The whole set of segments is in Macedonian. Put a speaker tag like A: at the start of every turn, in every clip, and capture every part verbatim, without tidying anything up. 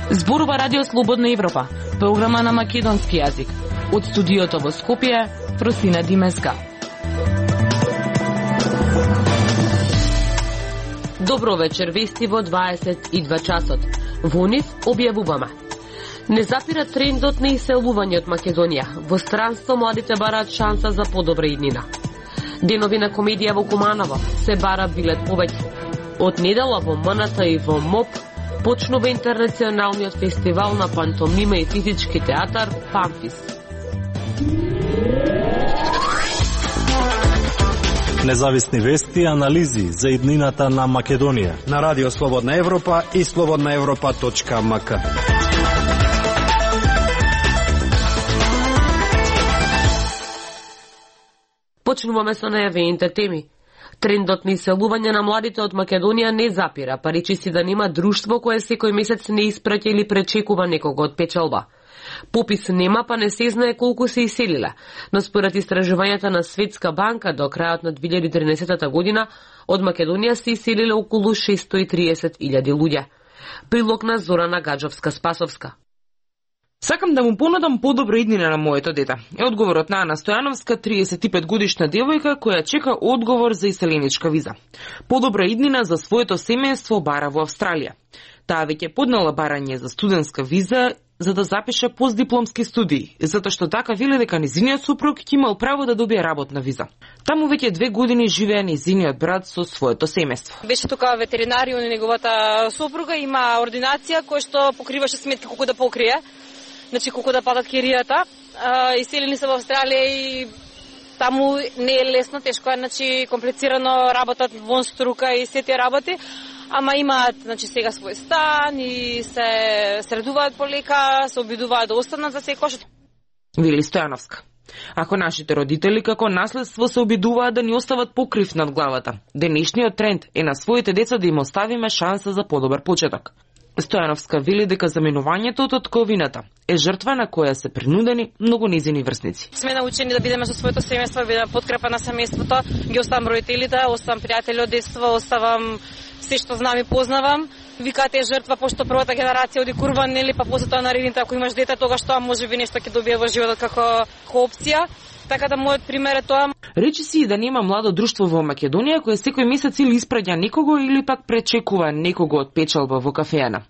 A: Зборува Радио Слободна Европа, програма на македонски јазик. Од студиото во Скопје, Просина Димеска. Добро вечер, вести во дваесет и два часот. Во нив објавуваме. Не запира трендот на иселување од Македонија. Во странство младите бараат шанса за подобра иднина. Денови на комедија во Куманово се бара билет повеќе. Од недела во М Н Т и во МОП почнува интернационалниот фестивал на пантомима и физички театар Памфис.
B: Независни вести и анализи за иднината на Македонија
C: на Радио Слободна Европа и слободна европа точка м к.
A: Почнуваме со најавените теми. Трендот на иселување на младите од Македонија не запира, паричи си да нема друштво кое секој месец не испраќа или пречекува некого од печалба. Попис нема, па не се знае колку се иселиле, но според истражувањата на Светска банка до крајот на две илјади и тринесета година од Македонија се иселиле околу шестои и триесет илјади луѓе. Прилог на Зорана Гаджовска-Спасовска.
D: Сакам да му понудам подобра иднина на моето дете. Е одговорот на Ана Стојановска, триесет и пет годишна девојка која чека одговор за иселеничка виза. Подобра иднина за своето семејство бара во Австралија. Таа веќе поднала барање за студентска виза за да запише постдипломски студии, затоа што така веле дека незиниот супруг ќе имал право да добие работна виза. Таму веќе две години живее незиниот брат со своето семејство.
E: Беше тука ветеринарион и неговата супруга, има ординација која што покриваше сметки колку да покрие. Значи колку да падат киријата. Иселени се во Австралија и таму не е лесно, тешко е, значи комплицирано, работат вон струка и сите работи. Ама имаат, значи, сега свој стан и се средуваат полека, се обидуваат да останат за секој.
D: Вели Стојановска. Ако нашите родители како наследство се обидуваат да ни остават покрив над главата, денешниот тренд е на своите деца да им оставиме шанса за подобар почеток. Стојановска вели дека заменувањето од татковината е жртва на која се принудени многу незини врсници.
E: Сме научени да бидеме со своето семејство, да бидеме подкрепа на семејството, ги оставам родителите, оставам пријатели од детство, оставам се што знам и познавам. Викате е жртва, пошто првата генерација оди курван, нели, па после тоа наредните, ако имаш дете, тогаш тоа можеби нешто ќе добие во животот како опција. Така да мојот пример е тоа.
D: Речи си да нема младо друштво во Македонија кое секој месец или испраќа некого или пак пречекува некого од печалба во кафеана.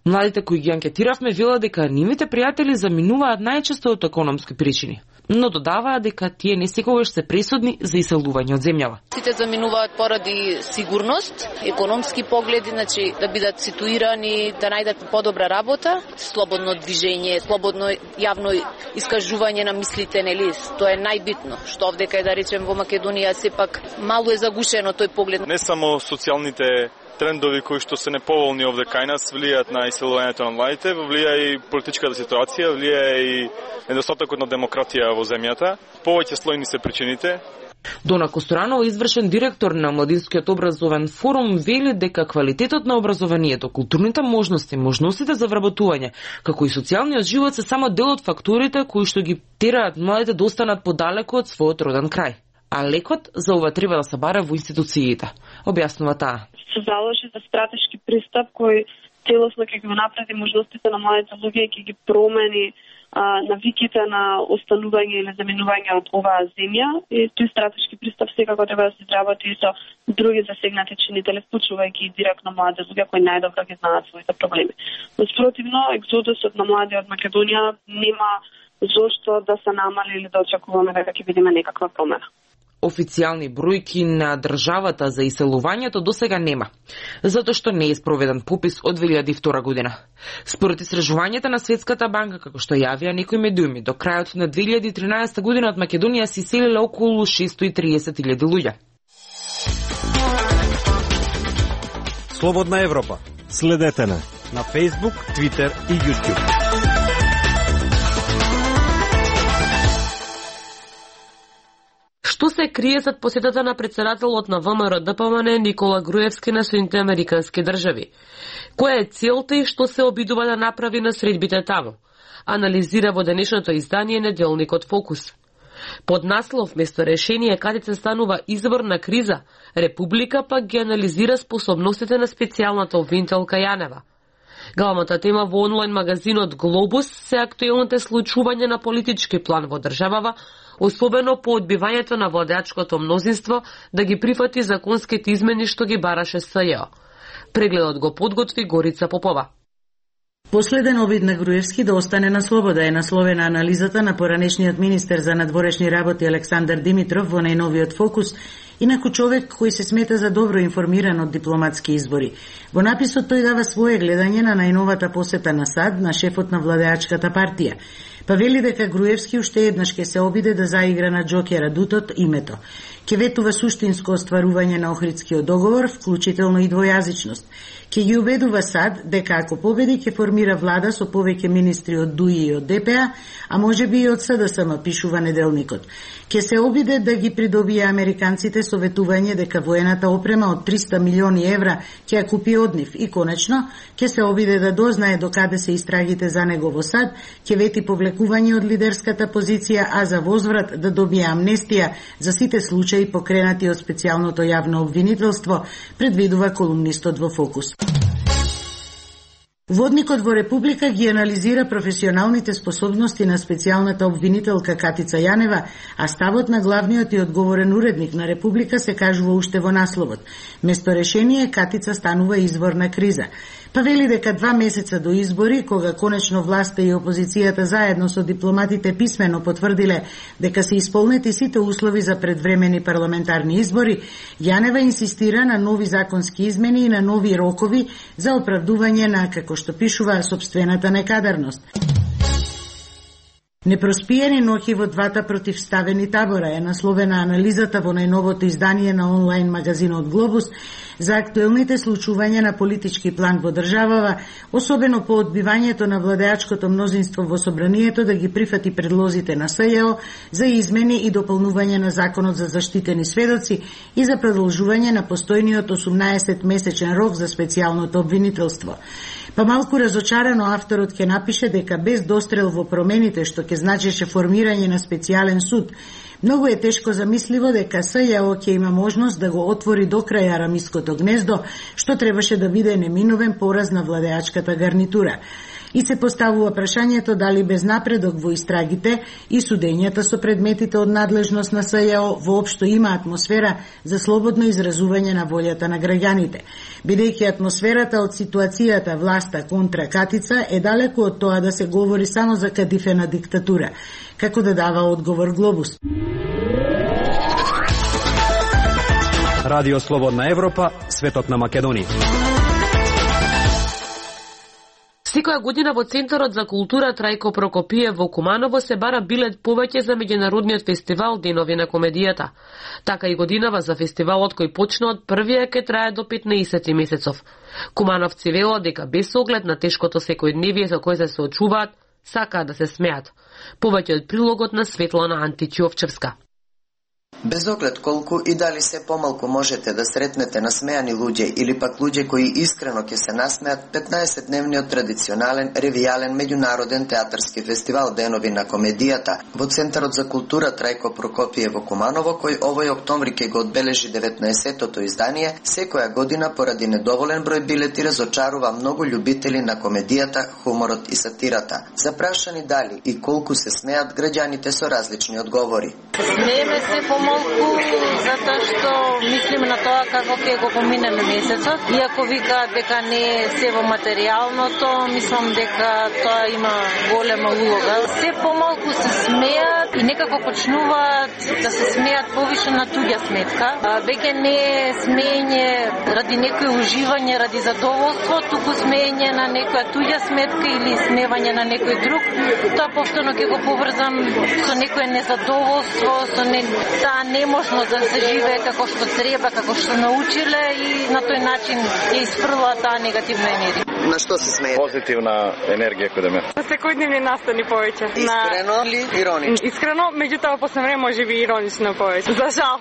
D: Младите кои ги анкетиравме велат дека нивните пријатели заминуваат најчесто од економски причини, но додаваат дека тие не секогаш се пресудни за иселување од земјава.
F: Сите заминуваат поради сигурност, економски погледи, значи да бидат ситуирани, да најдат подобра работа, слободно движење, слободно јавно искажување на мислите, нели? Тоа е најбитно, што овдека е, да речем, во Македонија сепак мало е загушено тој поглед.
G: Не само социјалните трендови кои што се неповолни овде кај нас влијаат на иселувањето на младите, влијае и политичката ситуација, влијае и недостатокот на демократија во земјата. Повеќе слојни се причините.
D: Дона Костуранова, извршен директор на Младинскиот образовен форум, вели дека квалитетот на образованието, културните можности, можностите за вработување, како и социјалниот живот се само дел од факторите кои што ги тераат младите да останат подалеку од својот роден крај. А лекот за ова треба да се бара во институциите, објаснува таа.
H: Се заложи за стратешки пристап кој целосно ќе ги напреди можностите на младите луѓе и ќе ги промени а, навиките на останување или заминување од оваа земја. И тој стратешки пристап секако треба да се изработи и со други засегнати чинители, вклучувајќи директно млади луѓе кои најдобро ги знаат своите проблеми. Но спротивно, екзодусот на млади од Македонија нема зошто да се намали или да очекуваме дека ќе видиме некаква промена.
D: Официјални бројки на државата за иселувањето досега нема, затоа што не е спроведен попис од две илјади и втора година. Според истражувањата на Светската банка, како што јавија некои медиуми, до крајот на две илјади и тринаесета година од Македонија се иселиле околу шестои и триесет илјади луѓе.
C: Слободна Европа.
B: Следете на
C: на Facebook, Twitter и YouTube.
A: Што се крие зад посетата на претседателот на ВМРО Д П М Н Никола Груевски на Соединетите Американски држави? Која е целта и што се обидува да направи на средбите таму? Анализира во денешното издание неделникот Фокус. Под наслов место решение Катица станува извор на криза, Република пак ги анализира способностите на специјалната обвинителка Јанева. Главната тема во онлайн магазинот Глобус се актуелните случувања на политички план во државава, особено по одбивањето на владеачкото мнозинство да ги прифати законските измени што ги бараше СЈО. Прегледот го подготви Горица Попова.
I: Последен обид на Груевски да остане на слобода е насловена анализата на поранешниот министер за надворешни работи Александар Димитров во најновиот фокус, инаку човек кој се смета за добро информиран од дипломатски избори. Во написот тој дава свое гледање на најновата посета на САД на шефот на владеачката партија. Па вели дека Груевски уште еднаш ќе се обиде да заигра на џокера дутот името. Ке ветува суштинско остварување на Охридскиот договор, вклучително и двојазичност. Ке ги убедува САД дека ако победи ќе формира влада со повеќе министри од ДУИ и од ДПА, а може би и од СДСМ, пишува неделникот. Ке се обиде да ги придобие американците со ветување дека воената опрема од триста милиони евра ќе ја купи од нив и конечно ке се обиде да дознае докаде се истрагите за него во САД, ќе вети повлекување од лидерската позиција, а за возврат да добие амнестија за сите случаи покренати од специјалното јавно обвинителство, предвидува колумнистот во Фокус. Водникот во Република ги анализира професионалните способности на специјалната обвинителка Катица Јанева, а ставот на главниот и одговорен уредник на Република се кажува уште во насловот. Место решение Катица станува извор на криза. Па вели дека два месеца до избори, кога конечно власта и опозицијата заедно со дипломатите писмено потврдиле дека се исполнети сите услови за предвремени парламентарни избори, Јанева инсистира на нови законски измени и на нови рокови за оправдување на, како што пишува, собствената некадарност. Непроспиени ноќи во двата противставени табора е насловена анализата во најновото издание на онлайн магазинот Глобус за актуелните случувања на политички план во државава, особено по одбивањето на владеачкото мнозинство во собранието да ги прифати предлозите на СЈО за измени и дополнување на законот за заштитени сведоци и за продолжување на постојниот осумнаесет месечен рок за специјалното обвинителство. Па малку разочарано авторот ќе напише дека без дострел во промените што ќе значеше формирање на специјален суд, многу е тешко замисливо дека СЈО ќе има можност да го отвори до крај арамиското гнездо, што требаше да биде неминовен пораз на владеачката гарнитура. И се поставува прашањето дали без напредок во истрагите и судењата со предметите од надлежност на СЈО воопшто има атмосфера за слободно изразување на волјата на граѓаните, бидејќи атмосферата од ситуацијата власта контра Катица е далеку од тоа да се говори само за кадифена диктатура, како да дава одговор Глобус.
C: Радио Слободна Европа, светот на Македонија.
A: Секоја година во Центарот за култура Трајко Прокопиев во Куманово се бара билет повеќе за меѓународниот фестивал Денови на комедијата. Така и годинава за фестивалот кој почна од првиот ке трае до петнаесет месецов. Кумановци велат дека без оглед на тешкото секојдневие со кој се соочуваат, сакаат да се смеат. Повеќе од прилогот на Светлана Античиовчевска.
J: Без оглед колку и дали се помалку можете да сретнете насмеани луѓе или пак луѓе кои искрено ќе се насмеат, петнаесетдневниот традиционален ревијален меѓународен театарски фестивал Денови на комедијата во Центарот за култура Трајко Прокопиев во Куманово, кој овој октомври ќе го одбележи деветнаесеттото издание, секоја година поради недоволен број билети разочарува многу љубители на комедијата, хуморот и сатирата. Запрашани дали и колку се смеат, граѓаните со различни одговори.
E: Смееме се помалку затоа што мислиме на тоа како ќе го поминеме месецот. Иако викаат дека не е се во материјалното, мислам дека тоа има голема улога. Се помалку се смеат и некако почнуваат да се смеат повише на туѓа сметка. Веќе не е смеење ради некој уживање, ради задоволство, туку смеење на некоја туѓа сметка или смевање на некој друг. Тоа повторно ќе го поврзам со некое незадоволство, со не, таа неможност да се живее како што треба, како што научиле и на тој начин ја испрла таа негативна енергија.
J: На што се смеете?
K: Позитивна енергија кај мене.
L: На секојдневни настани повеќе.
J: Искрено ли иронично?
L: Искрено, меѓутоа после време може би иронично повеќе. За жал.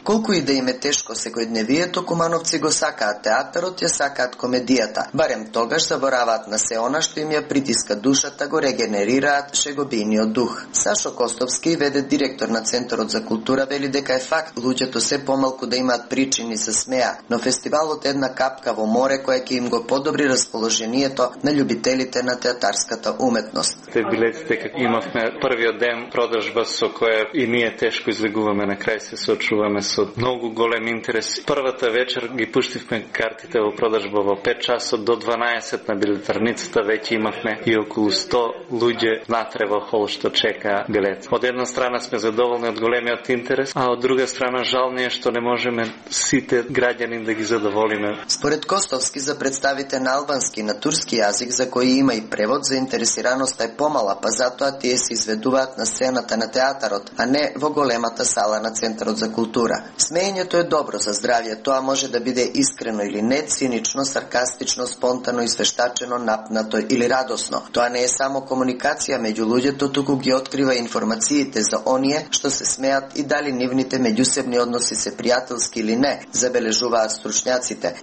J: Колку и да им е тешко секојдневието, кумановци го сакаат театарот, ја сакаат комедијата. Барем тогаш забораваат на се она што им ја притиска душата, го регенерираат шегобиниот дух. Сашо Костовски, веде директор на Центарот за култура, вели дека е факт луѓето се помалку да имаат причини се смеа, но фестивалот е една капка во море која ќе им го подобри расположението на љубителите на театарската уметност.
K: Те билетите како имавме првиот ден продржба со која и ние тешко излегуваме, на крај се соочуваме со многу голем интерес. Првата вечер ги пуштивме картите во продржба во пет часот до дванаесет на билетарницата, веќе имавме и околу сто луѓе натре во хол што чекаа билет. Од една страна сме задоволни од големиот интерес, а од друга страна жал ни е што не можеме сите граѓани да ги задоволиме.
J: Според Костовски, за представите на албански и на турски јазик, за кои има и превод, заинтересираноста е помала, па затоа тие се изведуваат на сцената на театарот, а не во големата сала на Центарот за култура. Смеењето е добро за здравје, тоа може да биде искрено или не, цинично, саркастично, спонтано, извештачено, напнато или радосно. Тоа не е само комуникација меѓу луѓето, туку ги открива информациите за оние што се смеат и дали нивните меѓусебни односи се пријателски или не, забележуваат стручњаците.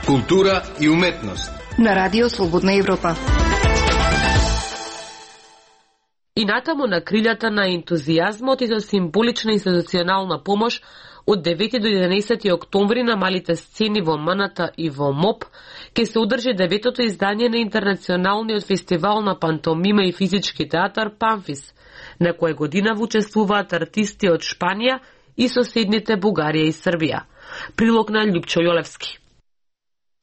C: Култура и уметност
M: на Радио Слободна Европа.
A: И натаму на крилјата на ентузијазмот и за символична институционална помош, од девети до единаесети октомври на малите сцени во Маната и во МОП ќе се одржи деветото издание на Интернационалниот фестивал на пантомима и физички театар Памфис, на која година учествуваат артисти од Шпанија и соседните Бугарија и Србија. Прилог на Љупчо Јолевски.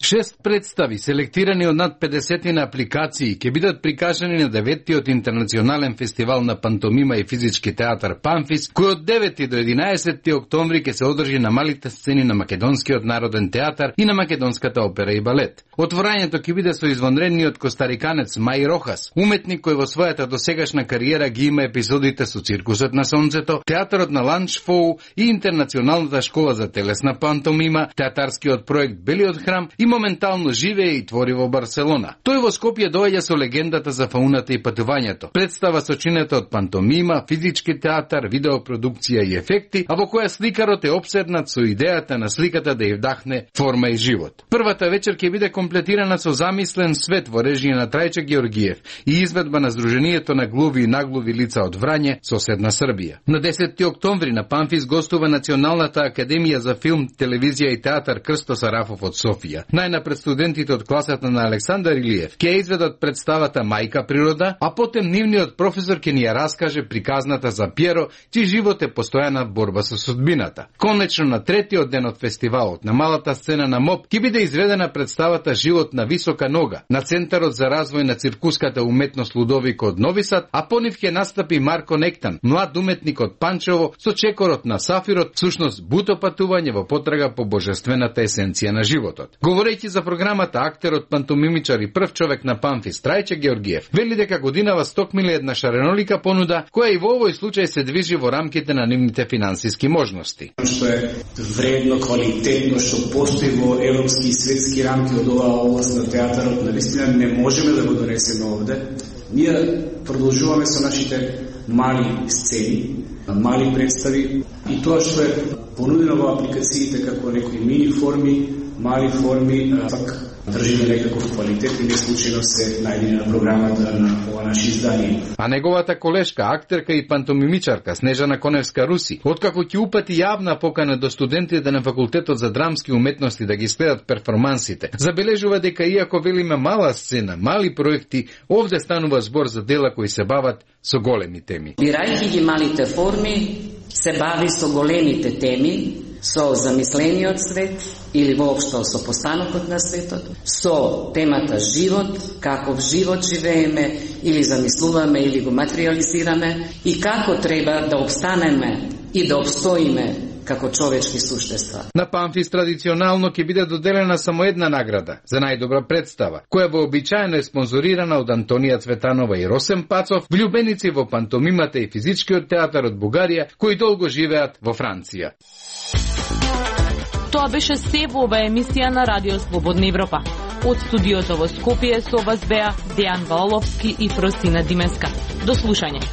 N: Шест представи, селектирани од над педесет на апликации, ќе бидат прикажани на деветиот Интернационален фестивал на пантомима и физички театар Памфис, кој од девети до единаесети октомври ќе се одржи на малите сцени на Македонскиот народен театар и на Македонската опера и балет. Отворањето ќе биде со извонредниот костариканец Мај Рохас, уметник кој во својата досегашна кариера ги има епизодите со Циркусот на сонцето, театарот на Ланчфоу и Интернационалната школа за телесна пантомима, театарскиот проект Белиот храм и моментално живее и твори во Барселона. Тој во Скопје доаѓа со легендата за фауната и патувањето. Представа сочинета од пантомима, физички театар, видеопродукција и ефекти, а во која сликарот е обседнат со идејата на сликата да ја вдахне форма и живот. Првата вечер ќе биде комплетирана со замислен свет во режија на Трајче Георгиев и изведба на Сдруженијето на глуви и наглуви лица од Врање, соседна Србија. На десети октомври на Памфис гостува Националната академија за филм, телевизија и театар Крсто Сарафов од Софија. Најнапред студентите од класата на Александар Илиев ќе изведат представата Мајка природа, а потем нивниот професор ќе ни ја раскаже приказната за Пјеро, чиј живот е постојана борба со судбината. Конечно на третиот ден од фестивалот на малата сцена на МОП ќе биде изведена представата Живот на висока нога на Центарот за развој на циркуската уметност Лудовико од Нови Сад, а по нив ќе настапи Марко Нектан, млад уметник од Панчево со чекорот на Сафирот, всушност буто патување во потрага по божествената есенција на животот. Говорејќи за програмата, актерот, пантомимичар и прв човек на Памфис Трајче Георгиев вели дека годинава стокмиле една шаренолика понуда, која и во овој случај се движи во рамките на нивните финансиски можности.
O: Што е вредно, квалитетно, што постои во европски и светски рамки од оваа област на театарот, навистина не можеме да го донесеме овде. Ние продолжуваме со нашите мали сцени, мали представи и тоа што е понудено во апликациите како некои мини форми, мали форми, пак држиме некаков квалитет и не случајно се најдени на програмата на ова наше издание.
N: А неговата колешка, актерка и пантомимичарка Снежана Коневска-Руси, откако ќе упати јавна покана до студентите на факултетот за драмски уметности да ги следат перформансите, забележува дека иако велиме мала сцена, мали проекти, овде станува збор за дела кои се бават со големи теми.
P: Бирајќи ги малите форми, се бави со големите теми, со замислениот свет или воопшто со постанокот на светот, со темата живот, каков живот живееме или замислуваме или го материализираме и како треба да обстанеме и да обстоиме како човечки суштества.
N: На Памфис традиционално ќе биде доделена само една награда за најдобра представа, која вообичаено е спонзорирана од Антонија Цветанова и Росен Пацов, влюбеници во пантомимата и физичкиот театар од Бугарија, кои долго живеат во Франција.
Q: Тоа беше се во оваа емисија на Радио Слободна Европа. Од студиото во Скопје со вас беа Дејан Валовски и Фросина Димеска. До слушање.